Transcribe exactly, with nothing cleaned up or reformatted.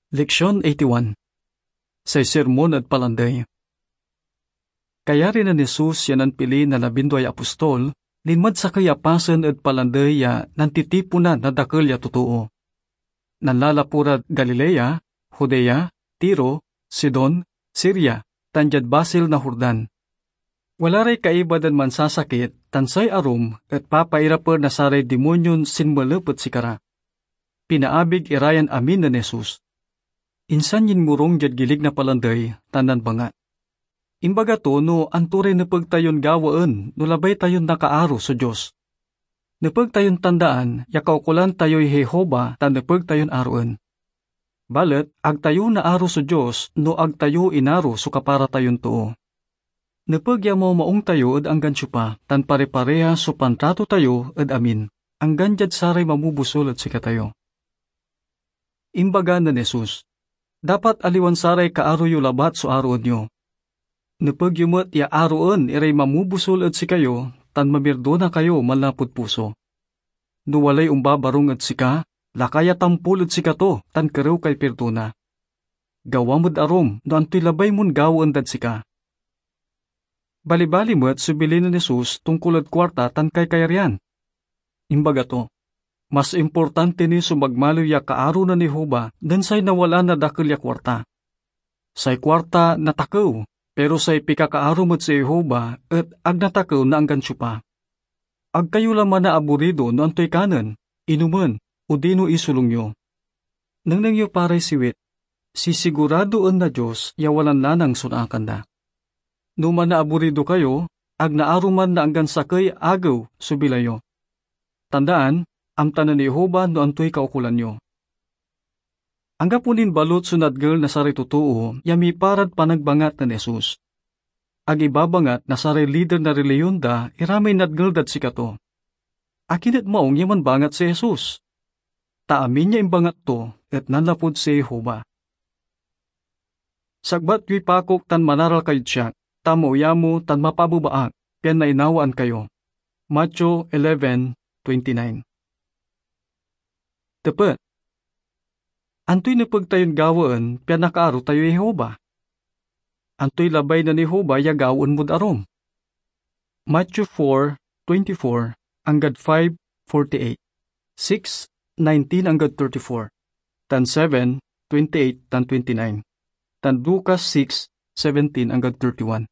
Leksion eighty-one. Say Sermon ed Palandey. Kayari nen Jesus ya nanpili na labinduay apostol, linmad sakey a pasen ed palandey ya nantitiponan na dakel ya totoo. Nanlalapu rad Galilea, Judea, Tiro, Sidon, Siria, tan diad basil na Jordan. Wala ray kaiba dan mansasakit, tan say arum et papairapen na saray dimonyon sinmelep ed sikara. Pinaabig ira yan amin nen Jesus. Insan yinmorung diad gilig na palandey tan nanbangat. Imbaga to no anto ray nepeg tayon gawaen no labay tayon nakaaro so Dios. Nepeg tayon tandaan ya kaukolan tayoy Jehovah tan nepeg tayon aroen. Balet ag tayo naaro so Dios no ag tayo inaro so kapara tayon too. Nepeg ya mamaung tayo ed anggan siopa, tan pare-parehas so pantrato tayo ed amin, anggan diad saray mamobosul ed sikatayo. Imbaga nen Jesus, "Dapat aliwan saray kaaro yo labat so aroen yo. Nepeg yo met ya aroen iray mamobosul ed sikayo tan mamirdona kayo manlapud puso. No walay ombabarung ed sika, laka ya tampol ed sikato tan kerew kay pirdona. Gawam ed arum no antoy labay mon gawaen dad sika." Balibali met so bilin nen Jesus tongkol ed kuarta tan kaykayarian. Imbaga to, "Mas importante ni so magmaliw ya kaaro nen Jehovah nen say nawalaan na dakel ya kuarta. Say kuarta natakew, pero say pikakaarom ed si Jehovah et ag natakew na anggan siopa. Ag kayo la manaaburido no antoy kanen, inomen, odino isolung yo. Nengneng yo pa ray siwit, sisiguradoen na Dios ya walanlanang so naakan da. No manaaburido kayo, ag naaruman na anggan sakey agew so bilay yo. Tandaan, amta nen Jehovah no antoy kaukolan yo." Anggapo nin balut so nadngel na saray totoo ya miparad panagbangat nen Jesus. Ag ibabangat na saray lider na reliyon da ira may nadngel dad sikato. Akin et maung ya manbangat si Jesus? Ta amin ya imbangat to et nanlapud si Jehovah. "Sagbat yoy pakok tan manaral kayod siak, ta maoyamo tan mapabeba ak, pian nainawaan kayo." Mateo eleven twenty-nine. Tepet: Antoy nepeg tayon gawaen pian nakaaro tayoy Jehovah? Antoy labay nen Jehovah ya gawaen mod arum? Matthew four twenty-four anggad five forty-eight, six nineteen anggad thirty-four, tan seven twenty-eight tan twenty-nine, tan Lucas six seventeen anggad thirty-one.